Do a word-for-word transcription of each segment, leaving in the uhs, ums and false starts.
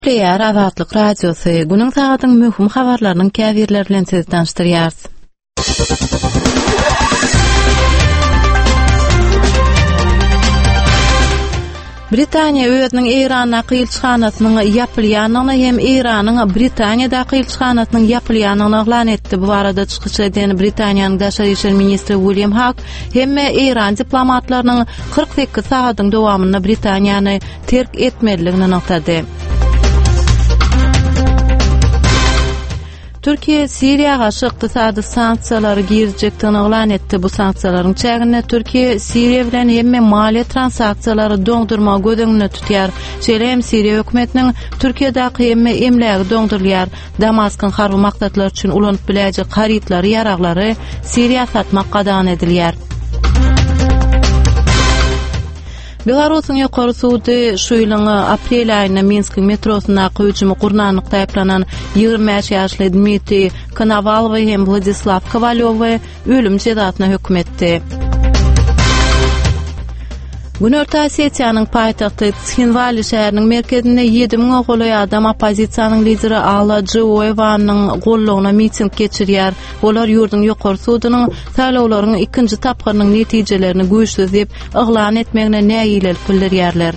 Gepleýär Azatlyk Radiosy, günüň sagadyň möhüm habarlarynyň käbirleri bilen sizi tanyşdyrýarys. Britaniýa özüniň Eýrandaky ilçihanasynyň ýapylýandygyny hem Eýranyň Britaniýadaky ilçihanasynyň ýapylýandygyny yglan etdi. Bu barada çykyş eden Britaniýanyň daşary işler ministri William Hak hemme Eýran diplomatlarynyň kyrk sekiz sagadyň dowamynda Britaniýany terk etmelidigini nygtady. Türkiýe Siriýa garşy ykdysady sanksiýalary girizjekdigini yglan etdi. Bu sanksiýalaryň çäginde Türkiýe Siriýa bilen hemme maliýe transaksiýalary doňdurmagy göz öňünde tutýar. Şeýle hem Siriýa hökümetiniň Türkiýedäki hemme emlägi doňdurylýar. Damaskyň harby maksatlar üçin ulanyp biläýjek harytlary, ýaraglary Siriýa satmak gadagan edilýär. Belarusyň ýokary sudy şu ýylyň aprel aýynda Minskiň metrosyndaky hüjümi gurnanlykda aýyplanan ýigrimi bäş ýaşly Dmitriý Konowalowy hem Wladislaw Kowalýowy ölüm jezasyna höküm etdi. Günorta Osetiýanyň paýtagty Tsinwali şäheriniň merkezinde ýedi müňe golaý adam oppozisiýanyň lideri Alla Džuoýewanyň goldawyna miting geçirýär. Olar ýurduň ýokary sudunyň saýlawlaryň ikinji tapgyrynyň netijelerini güýçsüz diýip yglan etmegine nägilelik bildirýärler.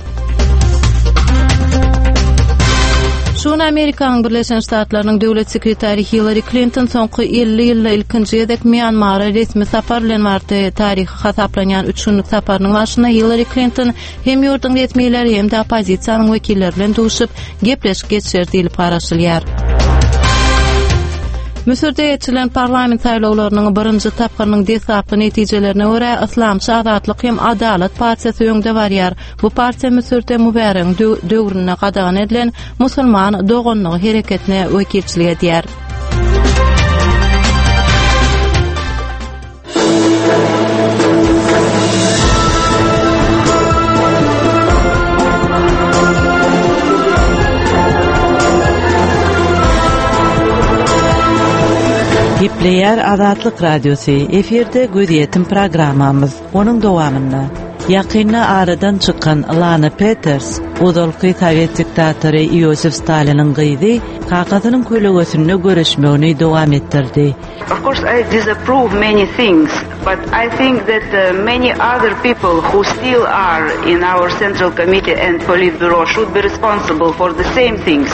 Şu gün Amerikanyň Birleşen Ştatlarynyň döwlet sekretary Hillari Klinton soňky elli ýylda ilkinji gezek Mýanmara resmi sapar bilen bardy. Taryhy hasaplanýan üç günlük saparynyň barşynda Hillari Klinton hem ýurduň resmileri hem-de oppozisiýanyň wekilleri bilen duşup, gepleşik geçirer diýlip garaşylýar. Müsürde geçirilen parlament saýlawlarynyň birinji tapgyrynyň deslapky netijelerine görä, Yslamçy Azatlyk hem Adalat partiýasy öňde barýar. Bu partiýa Müsürde Mübäregiň döwründe gadagan edilen Musulman doganlygy hereketine wekilçilik edýär. Gepleýär Azatlyk Radiosy, efirde Gözýetim programmamyz. Onuň dowamynda ýakynda aradan çykan Lana Peters, ozalky sowet diktatory Iosif Staliniň gyzy, kakasynyň kölegesinde göreşmegini dowam etdirdi. Of course I disapprove many things, but I think that uh, many other people who still are in our Central Committee and Politburo should be responsible for the same things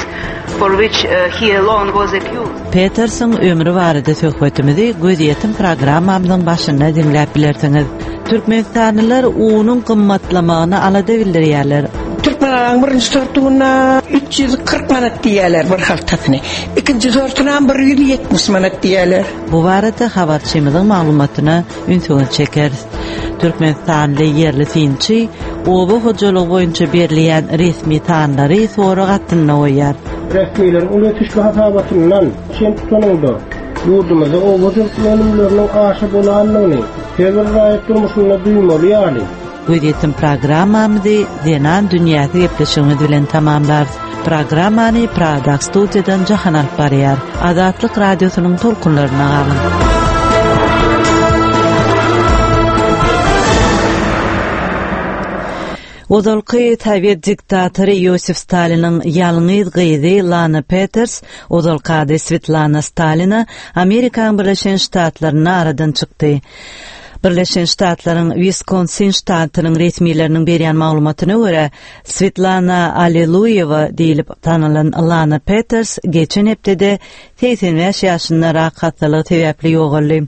for which uh, he alone was accused. Petersiň ömri barada söhbetimizi Gözýetim programmamyzyň başynda diňläp bilersiňiz. Türkmenistanlylar unuň gymmatlamagyna alada bildirýärler. Türkmenistanyň birinji sortuna üç ýüz kyrk manat diýýärler bir haltasyny. Ikinji sortuna bir ýüz ýetmiş manat diýýärler. Bu barada habarçymyzyň maglumatyna ünsüňizi çekeris. Türkmenistanly ýerli synçy oba hojalygy boýunça berilýän resmi sanlary sorag astynda goýýar. Resmileriň uly ösüşli hasabatyndan çen tutanyňda, ýurdumyzda oba hojalyk önümleriniň aşa bolandygyny her bir raýat durmuşynda duýmaly ýaly. Gözýetim programmamyzy Zenan dünýäsi gepleşigimiz bilen tamamlarys. Programmany Prada studiýadan Jahan alyp barýar. Azatlyk radiosynyň tolkunlaryna galyň. Ozalky sowet diktatory Iosif Staliniň ýalňyz gyzy Lana Peters, ozalky ady Svetlana Stalina, Amerikanyň Birleşen Ştatlarynda aradan çykdy. Birleşen Ştatlaryň Wiskonsin ştatynyň resmileriniň berýän maglumatyna görä, Svetlana Alliluýewa diýlip tanylan Lana Peters geçen hepdede segsen bäş ýaşynda rak hassalygy sebäpli ýogaldy.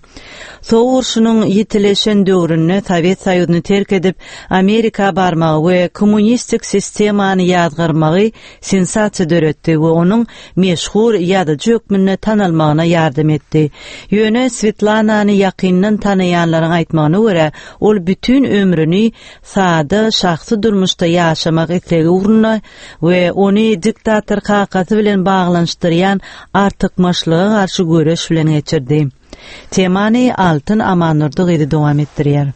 Sowuk urşunyň ýitileşen döwründe Sowet Soýuzyny terk edip, Amerika barmagy we kommunistik sistemany ýazgarmagy sensasiýa döretdi we onuň meşhur ýazyjy hökmünde tanalmagyna ýardam etdi. Ýöne Swetlanany ýakyndan tanaýanlaryň aýtmagyna görä, ol bütin ömrüni sada şahsy durmuşda ýaşamak islegi ugrunda we ony diktator kakasy bilen baglanyşdyrýan artykmaçlyga garşy göreş bilen geçirdi. Temany Altyn Amandurdy gyzy dowam etdirýär.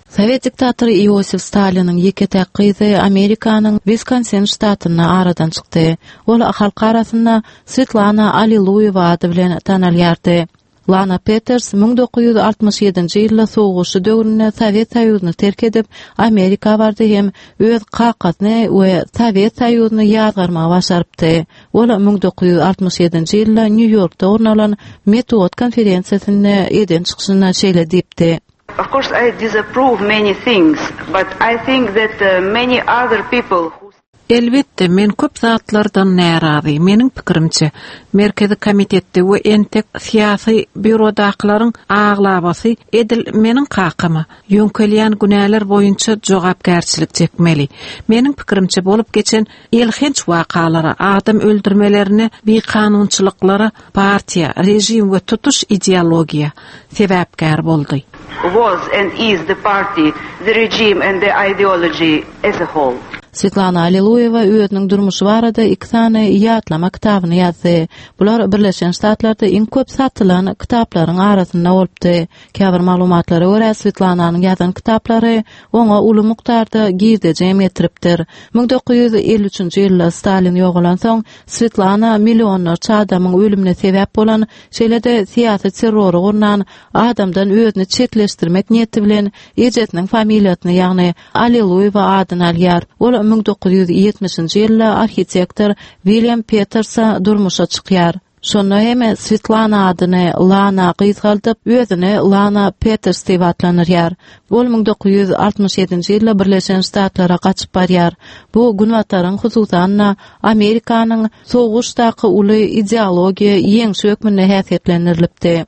Sowet diktatory Iosif Staliniň ýeke-täk gyzy Amerikanyň Wiskonsin ştatynda aradan çykdy. Ol halk arasynda Svetlana Alliluýewa ady bilen tanalýardy. Lana Peters müň dokuz ýüz altmyş ýedinji ýylda sowguşy döwründe Sowet Soýuzyny terk edip, Amerika bardy hem öz kakasyny we Sowet Soýuzyny ýazgarmagy başarypdy. Ol müň dokuz ýüz altmyş ýedinji ýylda Nýu-Ýorkda gurnalan metbugat konferensiýasynda eden çykyşynda şeýle diýipdi. Of course I disapprove many things, but I think that, uh, many other people who Elbetde, men köp zatlardan närazy. Meniň pikirimçe, Merkezi komitetde we entek syýasy býurodakylaryň aglabasy edil meniň kakama ýöňkelýän günäler boýunça jogapkärçilik çekmeli. Meniň pikirimçe bolup geçen elhenç wakalara, adam öldürmelerine, bikanunçylyklara partiýa, rejim we tutuş ideologiýa sebäpkär boldy. Was and is the party, the regime and the ideology as a whole. Svetlana Alliluýewa özüniň durmuşy barada iki sany ýatlama kitabyny ýazdy. Bular Birleşen Ştatlarda iň köp satylan kitaplaryň arasynda bolupdy. Käbir maglumatlara görä Svetlananyň ýazan kitaplary oňa uly mukdarda girdeji hem getiripdir. Müň dokuz ýüz elli üçünji ýylda Stalin ýogalan soň Svetlana millionlarça adamyň ölümine sebäp bolan, şeýle-de syýasy terrory gurnan adamdan özüni çetleşdirmek niýeti bilen ejesiniň familiýasyny, ýagny Alliluýewa adyny alýar. Ol müň dokuz ýüz ýetmişinji ýylda arhitektor William Petersa durmuşa çykýar. Şonda hem Svetlana adyny Lana gysgaldyp, özüni Lana Peters diýip atlandyrýar. Ol müň dokuz ýüz altmyş ýedinji ýylda Birleşen Ştatlara gaçyp barýar. Bu Günbataryň, hususan-da Amerikanyň sowuşdaky uly ideologiýa ýeňşi hökmünde häsiýetlendirilipdi.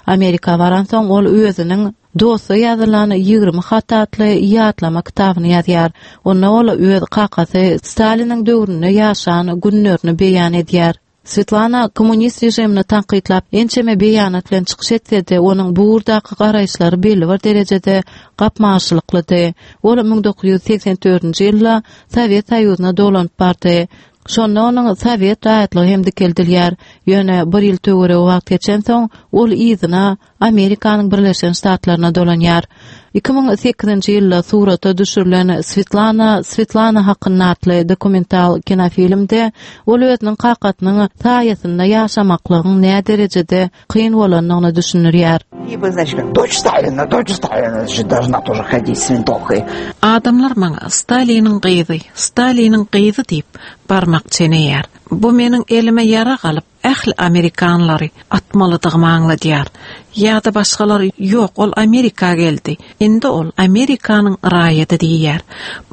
Amerika baransoň ol özüniň Dosta ýazylan ýigrimi hat atly ýatlama kitabyny ýazýar. Onda ol öz kakasy Staliniň döwründe ýaşan günlerini beýan edýär. Svetlana kommunist rejimini tankytlap ençeme beýanat bilen çykyş etse-de, onuň bu ugurdaky garaýyşlary belli bir derejede gapma-garşylyklydy. Ol müň dokuz ýüz seksen dördünji ýylda Sowet Soýuzyna dolanyp bardy. Şonda onuň Sowet raýatlygy hem dikeldilýär. Ýöne bir ýyl töweregi wagt geçensoň, ol yzyna Amerikanyň Birleşen Ştatlaryna dolanýar. Iki müň sekizinji ýylda surata düşürilen Svetlana Svetlana hakynda atly dokumental kinofilmde ol özüniň kakasynyň saýasynda ýaşamaklygyň nä derejede kyn bolandygyny düşündirýär. И значит, дочь Сталина, дочь Сталина, значит, должна тоже ходить с винтовкой. Adamlar maňa Staliniň gyzy, Staliniň gyzy diýip barmak çeneýär. Bu meniň elime ýara galyp, ähli amerikanlary atmalydygymy aňladýar. Ýa-da başgalar ýok, ol Amerika geldi. Indi ol Amerikanyň raýaty diýýär.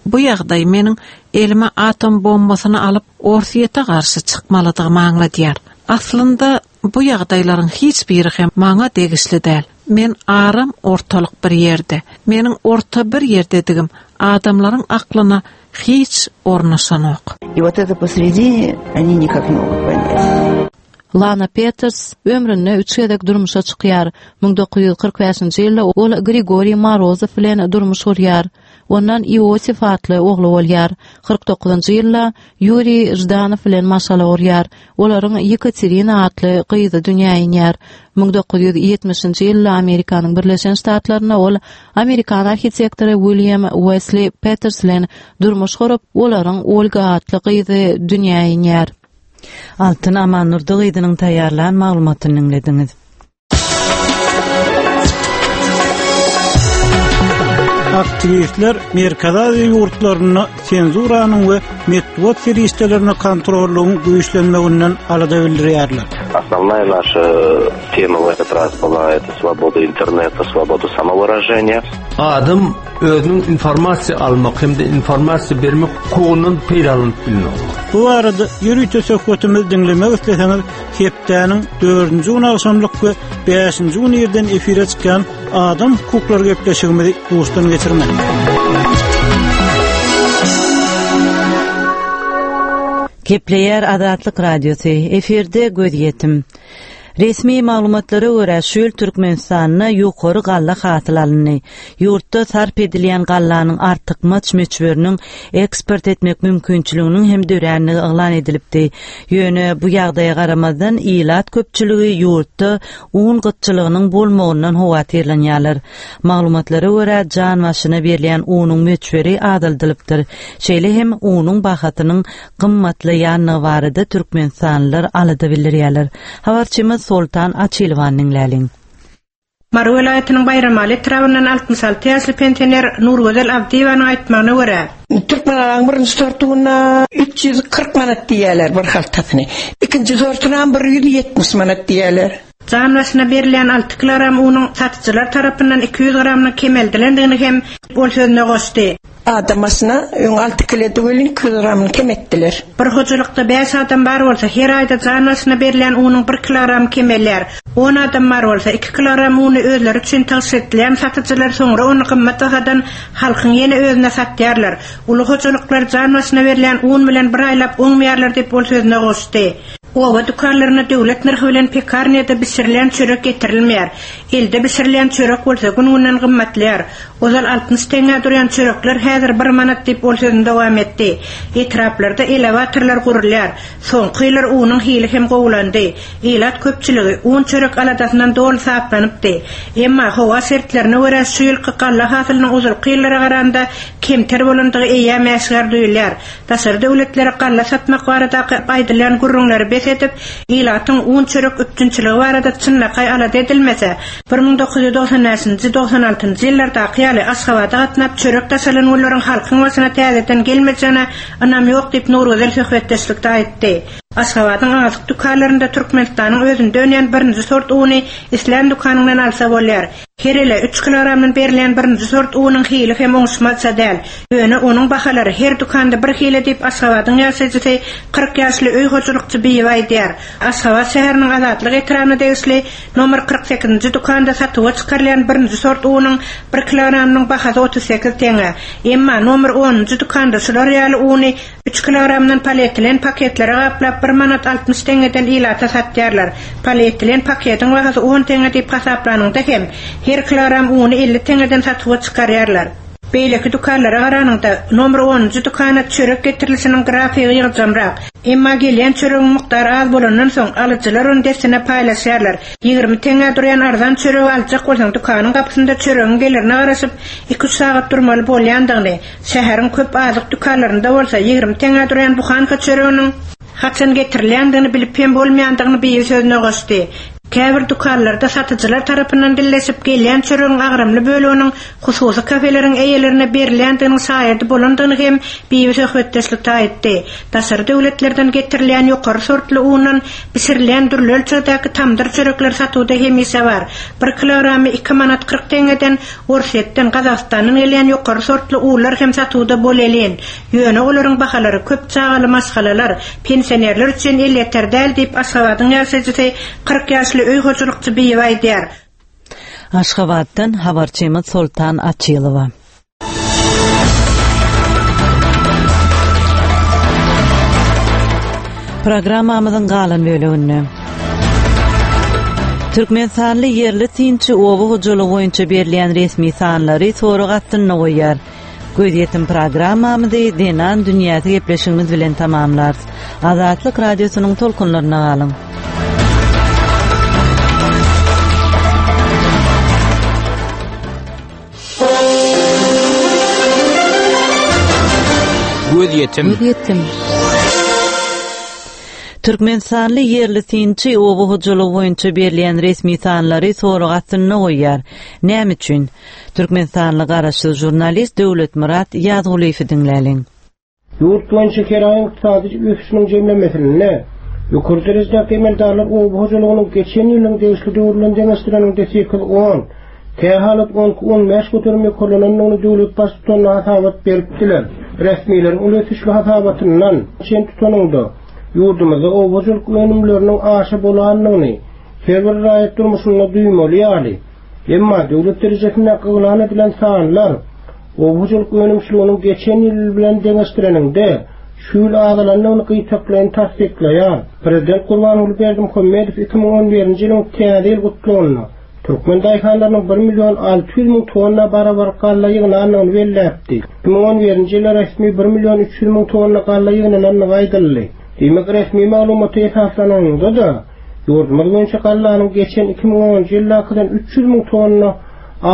Bu ýagdaý meniň elime atom bombasyny alyp Orsýete garşy çykmalydygymy aňladýar. Aslynda bu ýagdaýlaryň hiç biri hem maňa degişli däl. Men aram ortalyk bir ýerde. Meniň orta bir ýerdedigim adamlaryň aklyna hiç ornaşanok. И вот это посредине они никак не могут понять. Lana Peters ömründe üç gezek durmuşa çykýar. Müň dokuz ýüz kyrk bäşinji ýylda ol Grigoriy Morozov bilen durmuş gurýar. Ondan Iosif atly ogly bolýar. Kyrk dokuzynjy ýylda Yuriy Jdanov bilen maşgala gurýar. Olaryň Yekaterina atly gyzy dünýä inýär. Müň dokuz ýüz ýetmişinji ýylda Amerikanyň Birleşen Ştatlarynda ol Amerikan arhitektory William Wesley Peters bilen durmuş gurup, olaryň Olga atly gyzy dünýä inýär. Altyn Amannurdy gyzynyň taýýarlan maglumatyny diňlediňiz. Aktivistler Merkezi Aziýa ýurtlarynda senzuranyň we metbugat serişdelerini kontrollygyň güýçlenmeginden alada bildirýärler. Основная наша тема в этот раз была это свобода интернета, свобода самовыражения. Adam özüniň informasiýa almak hem-de informasiýa bermek hukugundan peýdalanyp bilmek. Bu arada ýörite söhbetimizi diňlemek isleseňiz, hepdäniň dördünji gün agşamlyk we bäşinji gün ýerden efire çykýan Adam hukuklary gepleşigimizi duşdan geçirmek. Kepleýär Azatlyk Radiosy, efirde göz ýetim. Resmi maglumatlara görä şu ýyl Türkmenistanda ýokary galla hasyl alyndy. Ýurtda sarp edilýän gallanyň artykmaç möçberiniň eksport etmek mümkinçiliginiň hem döränligi yglan edilipdi. Ýöne bu ýagdaýa garamazdan ilat köpçüligi ýurtda un gytçylygynyň bolmagyndan howatyrlanýarlar. Maglumatlara görä jan başyna berilýän unuň möçberi azaldylypdyr. Şeýle hem unuň bahasynyň gymmatlaýanlygy barada Türkmenistanlylar alada bildirýärler. Habarçymyz Soltan Açylowany diňläliň. Mary welaýatynyň Baýramaly etrabyndan altmyş alty ýaşly pensioner Nurgözel Abdyýewanyň aýtmagyna görä, Türkmenalaryň birinji sortuna üç ýüz kyrk manat diýýärler bir haltasyny. Ikinji sortuna bir ýüz ýetmiş manat diýýärler. Jan başyna berilýän alty kilogram unuň satyjylar tarapyndan iki ýüz gramynyň kemeldilendigini hem ol sözüne goşdy. Adam başyna öň alty kilo welin iki ýüz gramyny kem etdiler. Bir hojalykda bäş adam bar bolsa, her aýda jan başyna berilýän unuň bir kilogramy kemelýär. On adam bar bolsa, iki kilogram uny özleri üçin tygşytlaýan satyjylar soňra ony gymmat bahadan halkyň ýene özüne satýarlar. Uly hojalyklar jan başyna berilýän un bilen bir aýlap oňmaýarlar diýip ol sözüne goşdy. Oba dükanlaryna döwlet nyrhy bilen pekarnýada bişirilen çörek getirilmeýär. Elde bişirilen çörek bolsa gün-günden gymmatlaýar. Ozal altmyş teňňä durýan çörekler häzir bir manat diýip ol sözüni dowam etdi. Etraplarda elewatorlar gurulýar. Soňky ýyllar unuň hili hem gowulandy. Ilat köpçüligi un çörek aladasyndan doly saplanypdy. Emma howa şertlerine görä şu ýylky galla hasylynyň ozalky ýyllara garanda kemter bolandygy eýýäm äşgär duýulýar. Daşary döwletlere galla satmak baradaky aýdylýan gürrüňleri bes edip, ilatyň un çörek üpjünçiligi barada çynlakaý alada edilmese, bir müň dokuz ýüz dogsan bäşinji, dogsan altynjy ýyllardaky ýaly Aşgabada gatnap çörek daşalan günleriň halkyň başyna täzeden gelmejegine ynam ýok diýip Nurgözel söhbetdeşlikde aýtdy. Aşgabadyň azyk dükanlarynda Türkmenistanyň özünde önýän birinji sort uny islän dükanyňdan alsa bolýar. Her ele üç kilogramdan berilýän birinji sort unuň hili hem oňuşmazça däl. Ýöne onuň bahalary her dükanda bir hile diýip Aşgabadyň ýaşaýjysy kyrk ýaşly öý hojalykçy Bibi aýdýar. Aşgabat şäheriniň Azatlyk etrabyna degişli nomer kyrk sekizinji dükanda satuwa çykarylýan birinji sort unuň bir kilogramynyň bahasy otuz sekiz teňňe. Emma nomer onunjy dükanda şular ýaly uny üç kilogramdan polietilen paketlere gaplap bir manat altmyş teňňeden ilata satýarlar. Polietilen paketiň bahasy on teňňe diýip hasaplanyňda hem her kilogram uny elli teňňeden satuwa çykarýarlar. Beýleki dükanlara garanyňda nomer onunjy dükana çörek getirilişiniň grafigi ýygjamrak. Emma gelýän çöregiň mukdary az bolandan soň alyjylar ony dessine paýlaşýarlar. Ýigrimi teňňä durýan arzan çöregi aljak bolsaň dükanyň gapysynda çöregiň gelerine garaşyp iki üç sagat durmaly bolýandygyny, şäheriň köp azyk dükanlarynda bolsa ýigrimi teňňä durýan buhanka çöreginiň haçan getirilýändigini bilip hem bolmaýandygyny Bibi sözüne goşdy. Käbir dükanlarda satyjylar tarapyndan dilleşip gelýän çöregiň agramly böleginiň hususy kafeleriň eýelerine berilýändiginiň şaýady bolandygyny hem Bibi söhbetdeşlikde aýtdy. Daşary döwletlerden getirilýän ýokary sortly undan bişirilýän dürli ölçegdäki tamdyr çörekler satuwda hemişe bar. Bir kilogramy iki manat kyrk teňňeden Orsýetden, Gazagystandan gelýän ýokary sortly unlar hem satuwda bolelin. Ýöne olaryň bahalary köp çagaly maşgalalar, pensionerler üçin elýeter däl diýip Aşgabadyň ýaşaýjysy kyrk ýaşly öý hojalykçy Bibi aýdýar. Aşgabatdan habarçymyz Soltan Açylowa. Programmamyzyň galan böleginde Türkmenistanly ýerli synçy oba hojalygy boýunça berilýän resmi sanlary sorag astynda goýýar. Gözýetim programmamyzy Zenan dünýäsi gepleşigimiz bilen tamamlarys. Azatlyk radiosynyň tolkunlaryna galyň. Gözýetim. Gözýetim. Türkmenistanly ýerli synçy oba hojalygy boýunça berilýän resmi sanlary sorag astynda goýýar. Näme üçin? Türkmenistanly garaşsyz žurnalist Döwletmyrat Ýazgulyýewi diňläliň. Ýurt boýunça keraýyň ykdysady ösüşiniň jemlemesinde ýokary derejedäki emeldarlar oba hojalygynyň geçen ýylyň degişli döwründen deňeşdireninde sekiz on, kähalat on iki on bäş göterim ýokarlanandygyny döwlet baştutanyna hasabat beripdiler. Resmileriň uly ösüşli hasabatyndan çen tutanynda ýurdumyzda oba hojalyk önümleriniň aşa bolandygyny her bir raýat durmuşynda duýmaly ýaly. Emma döwlet derejesinde yglan edilen sanlar oba hojalyk önümçiliginiň geçen ýyl bilen deňeşdireninde şu ýyl azalandygyny gyýtaklaýyn tassyklaýar. Prezident Gurbanguly Berdimuhamedow iki müň on birinji ýylyň täze ýyl gutlagynda Türkmen daýhanlarynyň bir million alty ýüz müň tonna barabar galla ýygnandygyny belläpdi. Iki müň on birinji ýylda resmi bir million üç ýüz müň tonna galla ýygnanandygy aýdyldy. Diýmek, resmi maglumata esaslananda-da ýurdumyz boýunça gallanyň geçen iki müň onunjy ýyldakydan üç ýüz müň tonna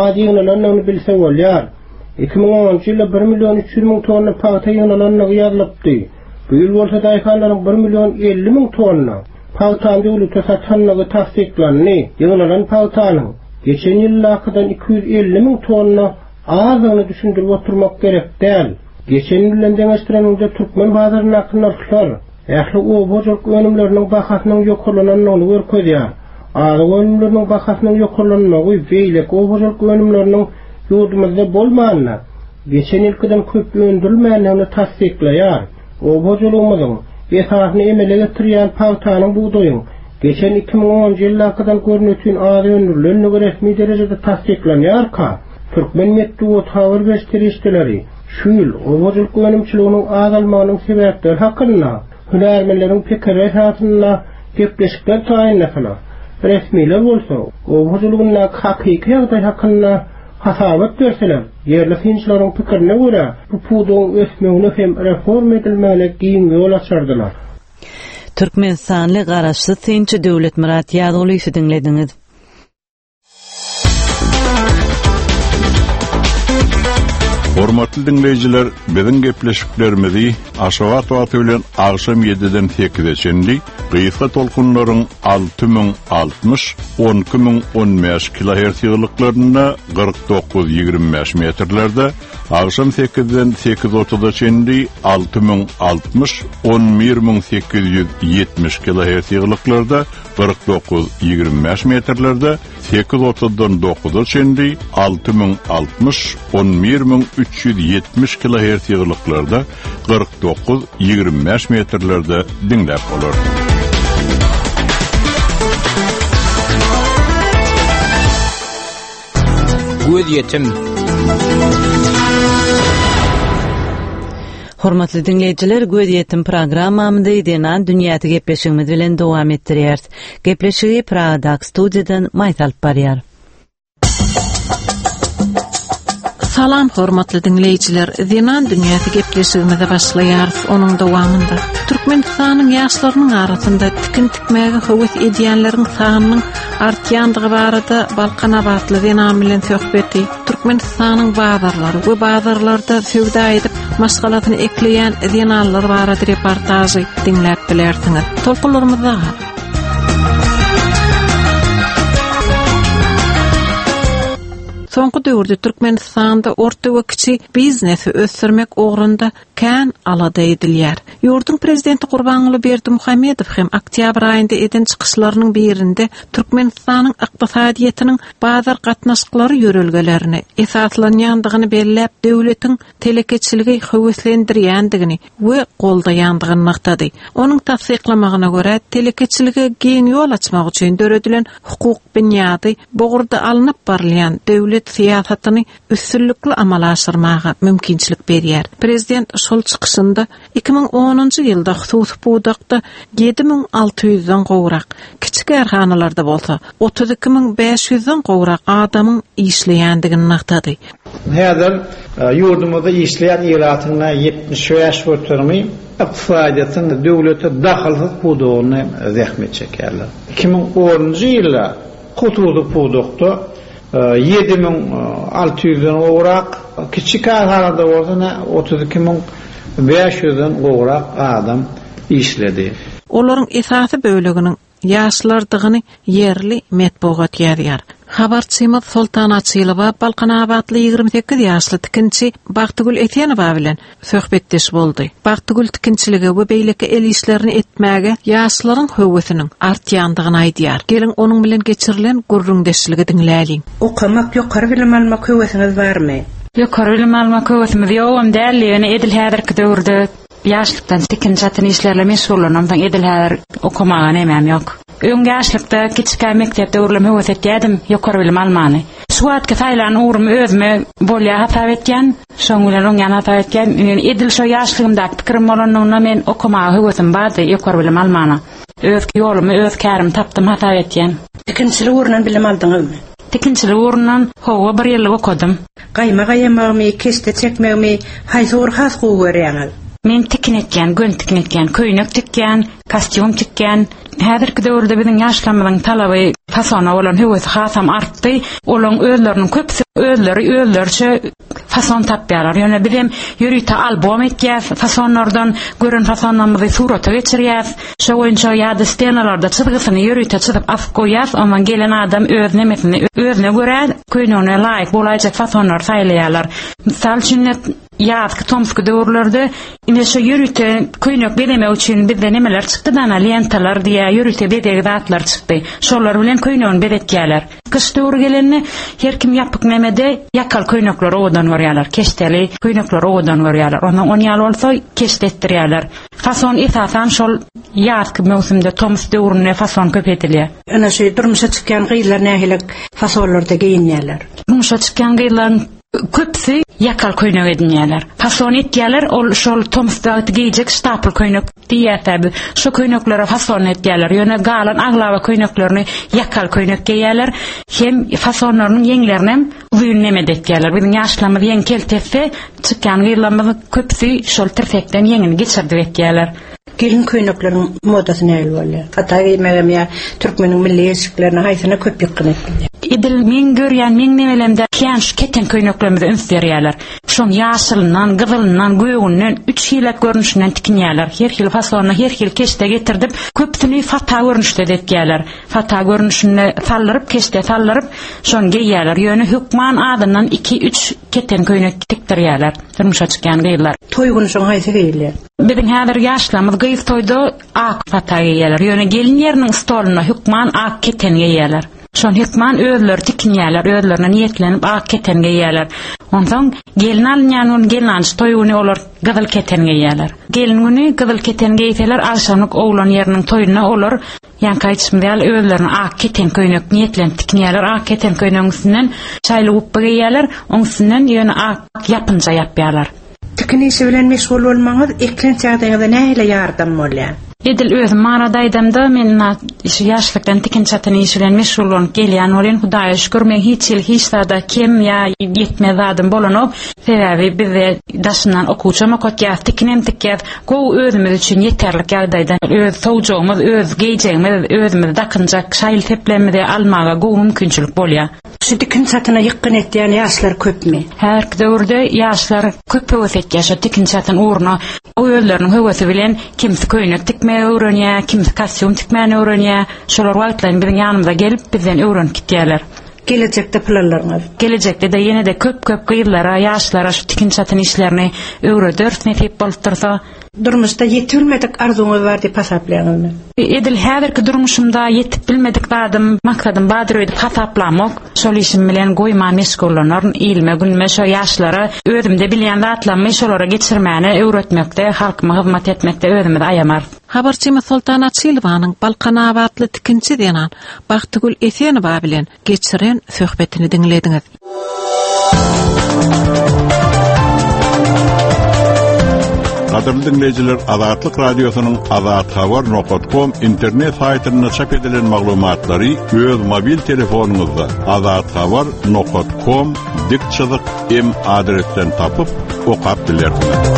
az ýygnalandygyny bilse bolýar. Iki müň onunjy ýylda bir million üç ýüz müň tonna pagta ýygnalandygy ýazylypdy. Bu ýyl bolsa daýhanlaryň bir million elli müň tonna pagtany döwlete satanlygy tassyklandy. Ýygnalan pagtanyň geçen ýyllardan iki ýüz elli müň tonna azdygyny düşündirip oturmak gerek däl. Geçen ýyl bilen deňeşdireninde türkmen bazaryndaky nyrhlar ähli oba hojalyk önümleriniň bahasynyň ýokarlanandygyny görkezýär. Azyk önümleriniň bahasynyň ýokarlanmagy beýleki oba hojalyk önümleriniň ýurdumyzda bolmanyna, geçen ýylkydan köp öndürilmändigini tassyklaýar. Oba hojalygymyzyň esasyny emele getirýän pagtanyň bugdaýyň geçen iki müň onunjy ýyllardan görnütün az öndürilendigi resmi derejede tassyklanýarka, türkmen metbugat habar beriş serişdeleri şu ýyl oba hojalyk önümçiliginiň azalmagynyň sebäpleri hakynda hünärmenleriň pikiri esasynda gepleşikler taýynlasalar, resmiler bolsa oba hojalygyndaky hakyky ýagdaý hakynda hasabat berseler, ýerli synçylaryň pikirine görä bu pudagyň ösmegine hem reform edilmegine giň ýol açardylar. Türkmenistanly garaşsyz synçy Döwletmyrat Ýazgulyýewi diňlediňiz. Hormatly dinleýjiler, biziň gepleşiklerimizi Aşgabat wagty bilen agşam ýediden sekize çenli gysga tolkunlaryň alty müň altmyş, on iki müň on bäş kilohertz ýygylyklarynda kyrk dokuz ýigrimi bäş metrlerde, agşam sekizden sekiz otuza çenli alty müň altmyş, on bir müň sekiz ýüz ýetmiş kilohertz ýygylyklarda kyrk dokuz ýigrimi bäş metrlerde, sekiz otuzdan dokuza çenli alty müň altmyş, on bir müň üç ýüz ýetmiş kilohertz ýygylyklarda kyrk dokuz ýigrimi bäş metrlerde diňläp bolar. Göz yetim. Hormatly dinleýjiler, Göz yetim programmamyzy Zenan dünýäsi gepleşigimiz bilen dowam etdirýäris. Gepleşigi Pragadaky studiýadan Maýsa alyp barýar. Salam hormatly dinleýjiler, Zenan dünýäsi gepleşigimize başlaýarys. Onuň dowamynda Türkmenistanyň ýaşlarynyň arasynda tikin tikmäge höwes edýänleriň sanynyň artýandygy barada Balkanabatly zenan bilen söhbeti, Türkmenistanyň bazarlary we bazarlarda söwda edip maşgalasyny ekleýän zenanlar barada reportažy diňläp bilersiňiz. Tolkunlarymyzda gal. Soňky döwürde Türkmenistanda orta we kiçi biznesi ösdürmek ugrunda kän alada edilýär. Ýurduň prezidenti Gurbanguly Berdimuhamedow hem oktýabr aýynda eden çykyşlarynyň birinde Türkmenistanyň ykdysadyýetiniň bazar gatnaşyklary ýörelgelerini esaslanýandygyny belläp, döwletiň telekeçiligi höweslendirýändigini we goldaýandygyny nygtady. Onuň tassyklamagyna görä, telekeçilige giň ýol açmak üçin döredilen hukuk binýady bu ugurda alnyp barylýan döwlet syýasatyny üstünlikli amala aşyrmaga mümkinçilik berýär. Prezident şol çykyşynda iki müň onunjy ýylda hususy pudakda ýedi müň alty ýüzden gowrak, kiçi kärhanalarda bolsa otuz iki müň bäş ýüzden gowrak adamyň işleýändigini nygtady. Häzir, e, ýurdumyzda işleýän ilatyň ýetmiş bäş göterimi ykdysadyýetiň döwlete dahylsyz pudagyny zähmet çekerler. Iki müň onunjy ýylda hususy pudakda, e, ýedi müň alty ýüzden gowrak, kiçi kärhanada bolsa ne otuz iki müň bäş ýüzden gowrak adam işledi. Olaryň esasy böleginiň ýaşlardygyny ýerli metbugat ýazýar. Habarçymyz Soltan Açylowa Balkanabatly ýigrimi sekiz ýaşly tikinçi Bagtygül Esenowa bilen söhbetdeş boldy. Bagtygül tikinçiligi we beýleki el işlerini etmäge ýaşlaryň höwesiniň artýandygyny aýdýar. Geliň onuň bilen geçirilen gürrüňdeşligi diňläliň. Okamak, ýokary bilim almak höwesiňiz barmy? Ýokary bilim almak höwesimiz ýogam däl, ýöne edil häzirki döwürde ýaşlykdan tikin çatyn işlerle meşgullanamdan edil häzir okamaga nemem ýok. Öň ýaşlykda kiçikä mekdepde döwürlem höwes etýärdim, ýokary bilim almany. Şu wagtky saýlan ugrumy özüme bolýa hasap etýän, şoň bilen oňýan hasap etýän. Men edil şo ýaşlygymdaky pikirim bolanlygynda men okamaga höwesim bardy, ýokary bilim almana. Öz ýolumy, öz kärimi tapdym hasap etýän. Tikinçilik ugrundan bilim aldyňyzmy? Tikinçilik ugrundan hawa bir ýyllyk okadym. Gaýma gaýamagymy, keşde çekmegimi haýsy ugur has gowy görýäňiz? Men tikin etýän, gön tikin etýän, köýnek tikýän, kostýum tikýän. Häzirki döwürde biziň ýaşlarymyzyň talaby fasona bolan höwesi hasam artdy. Olaryň özleriniň köpüsi özleri özlerçe fason tapýarlar. Ýöne biz hem ýörite albom etýäs, fasonlardan gören fasonlarymyzy surata geçirýäs. Şo boýunça ýa-da stenalarda çyzgysyny ýörite çyzyp asyp goýýas, ondan gelen adam öz nemesini özüne görä köýnegine laýyk bolaýjak fasonlary saýlaýarlar. Mysal üçin ýazky tomsky döwürlerde ine şu ýörite köýnek bezemek üçin bizde nemeler çykdy dana lentalar diýä ýörite bezeg zatlar çykdy. Şolar bilen köýnegini bezetýärler. Gyş döwri gelende her kim ýapyk nemede ýakal köýnekleri owadan görýärler. Keşdeli köýnekleri owadan görýärler. Ondan on ýaly bolsa keşde etdirýärler. Fason esasan şol ýazky möwsümde tomus döwründe fason köp edilýär. Ine şu durmuşa çykýan gyzlar nähili fasonlarda geýinýärler? Durmuşa çykýan gyzlaryň köpüsi ýakal köýnek edinýärler. Fason etýärler, ol şol tomusda geýjek ştapl köýnek diýýärler biz. Şu köýneklere fason etýärler. Ýöne galan aglaba köýneklerini ýakal köýnek geýýärler. Hem fasonlarynyň ýeňlerini hem uzyn neme etýärler. Biziň ýaşlarymyz ýeň keltetse, çykýan gyzlarymyz köpüsi şol tirsekden ýeňini geçirdip etýärler. Gelin köýnekleriň modasy nähili bolýar? Fata geýmegem ýa türkmeniň milli eşiklerine haýsyna köp ýykgyn etýär? Edil men görýän, men nemelemde kän şu keten köýneklerimize üns berýärler. Şoň ýaşylyndan, gyzylyndan, gögünden üç hilek görnüşinden tikinýärler. Her hil fasonuna, her hil keşde getirdip, köpüsini fata görnüşde etýärler. Fata görnüşinde saldyryp, keşde saldyryp, şony geýýärler. Ýöne hökman adyndan iki üç keten köýnek tikdirýärler. Durmuşa çykýan gyzlar. Toý günü şoň haýsy geýilýär? Biziň häzir ýaşlarymyz gyz toýda ak fata geýýärler. Ýöne gelin ýeriniň stoluna hökman ak keten geýýärler. Şon hökman özleri tikinýärler, özlerine niýetlenip ak keten geýýärler. Onsoň gelin alynýan gün gelin alyş toý güni olar gyzyl keten geýýärler. Gelin güni gyzyl keten geýseler, agşamlyk oglan ýeriniň toýuna olar ýaňky aýtşym ýaly özlerine ak keten köýnek niýetlenip tikinýärler. Ak keten köýnegiň üstünden çaýly gupba geýýärler, oň üstünden ýöne ak ýapynja ýapýarlar. Tikin işi bilen meşgul bolmaňyz eklenç ýagdaýyňyza nähili ýardam bolýar? Edil özüm marada aýdamda men na şu ýaşlykdan tikin çatyn işi bilen meşgul bolup gelýän bolýan. Hudaýa şükür men hiç ýyl hiç zada kem ýa ýetmez zadym bolanok. Sebäbi bizde daşyndan okuwçam okatýas, tikinem tikýäs. Gowy özümiz üçin ýeterlik ýagdaýda öz sowjagymyz, öz geýjegimiz, özümiz dakynjak şaýyl seplerimizi almaga gowy mümkinçilik bolýar. Şu tikin çatyna ýykgyn etýän ýaşlar köpmi? Her döwürde ýaşlar köp höwes etýär şu tikin çatyn ugruna. O özleriniň höwesi bilen kimsi köýnek tikmegi öwrenýär, kimsi kostýum tikmäni öwrenýär. Şolar wagtlaryny biziň ýanymyza gelip bizden öwrenip gitýärler. Gelejekde planlaryňyz? Gelejekde de ýene de köp-köp gyzlara, ýaşlara şu tikin çatyn işlerini öwrederis nesip bolup dursa. Durmuşda ýetip arzuňyz bar diýip hasaplaýaňyzmy? Edil häzirki durmuşumda ýetip bilmedik zadym, maksadym bardyr öýdüp hasaplamok. Şol işim bilen goýman meşgullanaryn, ilme günme şo ýaşlara özümde bilýän zatlarymy şolara geçirmäne öwretmekde, halkyma hyzmat etmekde özümizi aýamarys. Habarçymyz Soltan Açylowanyň Balkanabatly tikinçi zenan Bagtygül Esenowa bilen geçiren söhbetini diňlediňiz. Gadyrly dinleýjiler, Azatlyk radiosynyň azathabar nokta com internet saýtynda çap edilen maglumatlary öz mobil telefonyňyzda azathabar nokta com dik çyzyk m adresden tapyp okap bilersiňiz.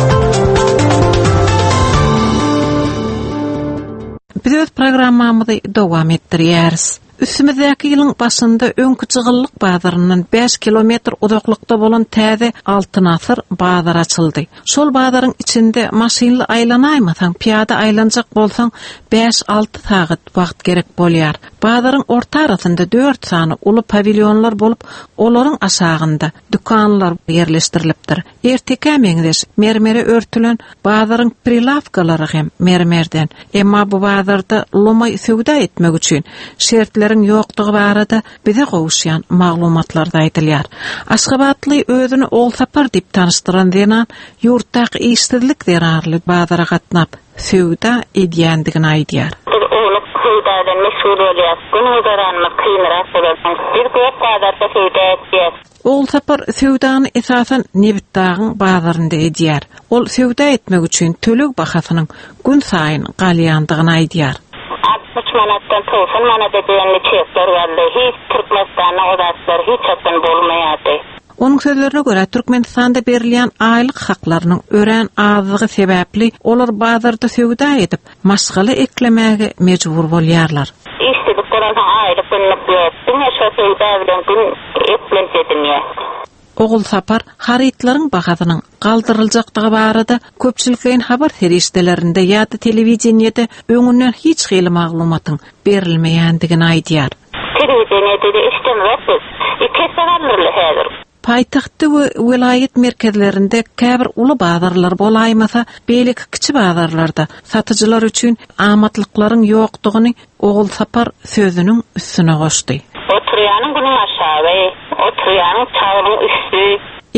Biz öz programmamyzy dowam etdirýäris. Üstümizdäki ýylyň başynda öňkü çygyllyk bazaryndan bäş kilometr uzaklykda bolan täze Altyn Asyr bazar açyldy. Şol bazaryň içinde maşynly aýlanaýmasaň, piýada aýlanjak bolsaň bäş alty sagat wagt gerek bolýar. Bazaryň orta arasynda dört sany uly pawilyonlar bolup, olaryň aşagynda dükanlar ýerleşdirilipdir. Erteke meňzeş mermere örtülen bazaryň prilawkalary hem mermerden. Emma bu bazarda lomaý söwda etmek üçin şertleriň ýokdugy barada bize gowuşýan maglumatlar da aýdylýar. Aşgabatly özüni Ogulsapar diýip tanyşdyran zenan ýurtdaky işsizlik zerarly bazara gatnap söwda edýändigini aýdýar. Biz ownuk söwdadan meşgul bolýar. Gün güzeranymyz kynrak bolar. Biz gök bazarda söwda edýäris. Ogulsapar söwdany esasan Nebitdagyň bazarynda edýär. Ol söwda etmek üçin töleg bahasynyň gün saýyn galýandygyny aýdýar. Altmyş manatdan togsan manata diýen çekler geldi. Hiç Türkmenistanda o zatlar hiç haçan bolmaýardy. Onuň sözlerine görä Türkmenistanda berilýän aýlyk haklarynyň örän azlygy sebäpli olar bazarda söwda edip maşgala eklemäge mejbur bolýarlar. Işsizlik bolansoň aýlyk günlük ýok. Diňe şo söwda bilen gün eklenç edinýär. Ogulsapar harytlaryň bahasynyň galdyryljakdygy barada köpçülikleýin habar serişdelerinde ýa-da telewideniýede öňünden hiç hili maglumatyň berilmeýändigini aýdýar. Telewideniýede eşidemok biz. Iki esse galdyryldy häzir. Paýtagtda we welaýat merkezlerinde käbir uly bazarlar bolaýmasa, beýleki kiçi bazarlarda satyjylar üçin amatlyklaryň ýokdugyny Ogulsapar sözüniň üstüne goşdy. Oturýanyň günüň aşagy, oturýanyň çagynyň üstü.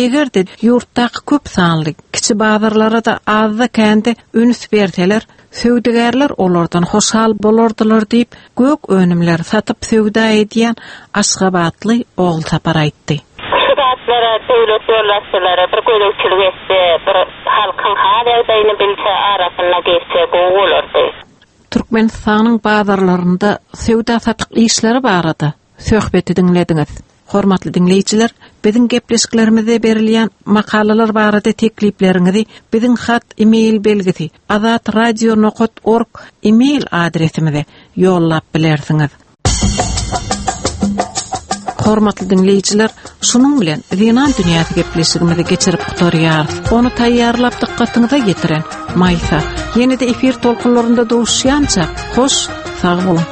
Eger-de ýurtdaky köp sanly kiçi bazarlara da azda kände üns berseler, söwdagärler olardan hoşal bolardylar diýip, gök önümleri satyp söwda edýän Aşgabatly Ogulsapar aýtdy. Şu zatlara döwlet ýolbaşçylary bir gözegçilik etse, bir halkyň hal ýagdaýyny bilse, arasynda geçse gowy bolardy. Türkmenistanyň bazarlarynda söwda satyk işleri barada söhbeti diňlediňiz. Hormatly diňleýjiler, biziň gepleşiklerimizde berilýän makalalar barada teklipleriňizi biziň hat e-mail belgisi azatradio nokat org e-mail adresimize ýollap bilersiňiz. Hormatly diňleýjiler, şunuň bilen Zenan dünýäsi gepleşigimizi geçirip gutarýarys. Ony taýýarlap dykgatyňyza ýetiren Maýsa. Ýene-de efir tolkunlarynda duşýança, hoş, sag boluň.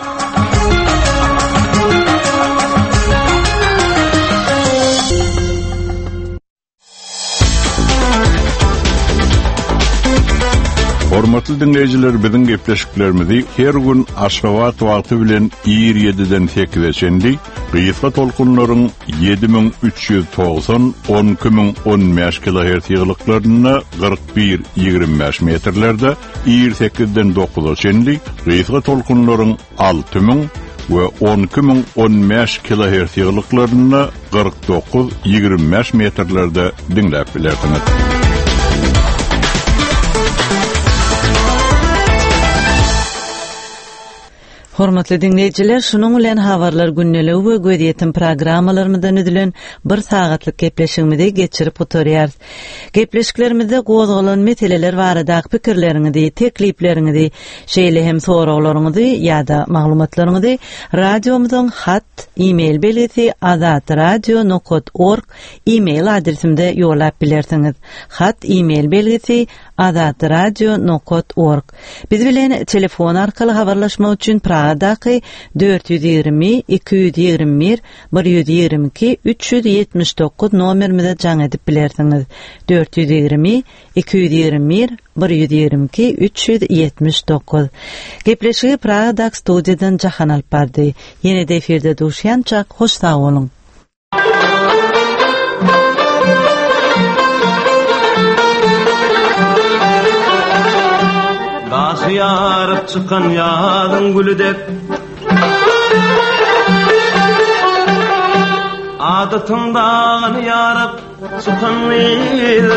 Hormatly dinleýjiler, biziň gepleşiklerimizi her gün Aşgabat wagty bilen ir ýediden sekize çenli gysga tolkunlaryň ýedi müň üç ýüz togsan on iki müň on bäş kilohertz ýyglyklarynda kyrk bir ýigrimi bäş metrlerde ir sekizden dokuza çenli gysga tolkunlaryň alty müň we on iki müň on bäş kilohertz ýyglyklarynda kyrk dokuz ýigrimi bäş metrlerde diňläp bilersiňiz. Hormatly dinleýjiler, şunuň bilen habarlar gündeligi we gözýetim programmalarymyzdan üzülen bir sagatlyk gepleşigimizi geçirip gutarýarys. Gepleşiklerimizde gozgalan meseleler baradaky pikirleriňizi, teklipleriňizi, şeýle hem soraglaryňyzy ýa-da maglumatlaryňyzy radiomyzyň hat e-mail belgisi azatradio nokat org e-mail adresimde ýollap bilersiňiz. Hat e-mail belgisi azatradio nokat org. Biz bilen telefon arkaly habarlaşmak üçin Pragadaky dört ýüz ýigrimi, iki ýüz ýigrimi bir, bir ýüz ýigrimi iki, üç ýüz ýetmiş dokuz nomerimize jaň edip bilersiňiz. dört ýüz ýigrimi, iki ýüz ýigrimi bir, bir ýüz ýigrimi iki, üç ýüz ýetmiş dokuz. Gepleşigi Pragadaky studiýadan Jahan alyp bardy. Ýene de efirde duşýança hoş sag boluň. Daşy ýaryp çykan ýazyň gülü dek Adatyň dağını ýaryp çykan gyz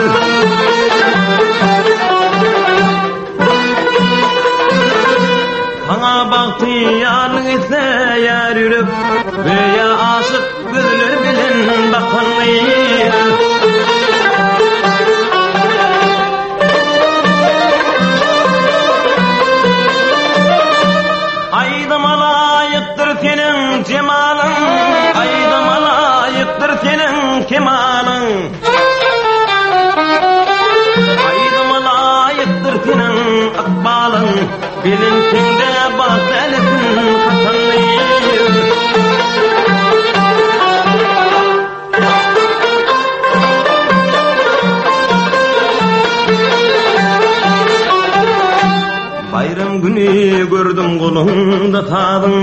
Sana bagty ýarlyk isleýär ýürek Göýä aşyk gözler bilen bakan gyz Aýdyma laýykdyr seniň jemalyň, aýdyma laýykdyr seniň kemalyň. Aýdyma laýykdyr seniň ykbalyň, belentinde bagt älesin hatanly. Bayram günü gördüm golunda sazyň.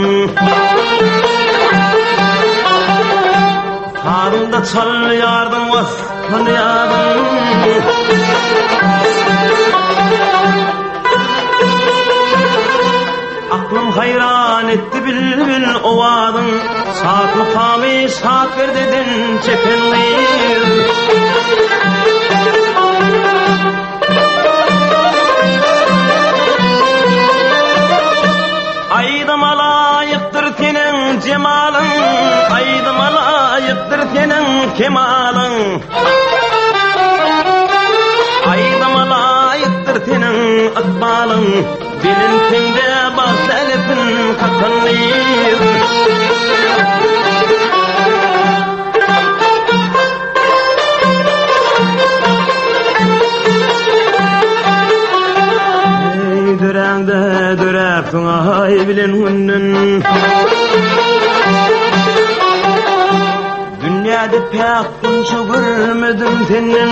Sazyňda çalýardyň waspan ýadyň. Aklym hayran etti bilbil owazyň. Şat mukamy şat perdeden çeken gyz. Aýdyma laýykdyr seniň jemalyň, aýdyma laýykdyr seniň kemalyň. Aýdyma laýykdyr seniň ykbalyň, belentinde bagt älesin kakan gyz. bilen günden. Dünýäde päk gunça görmedim senden.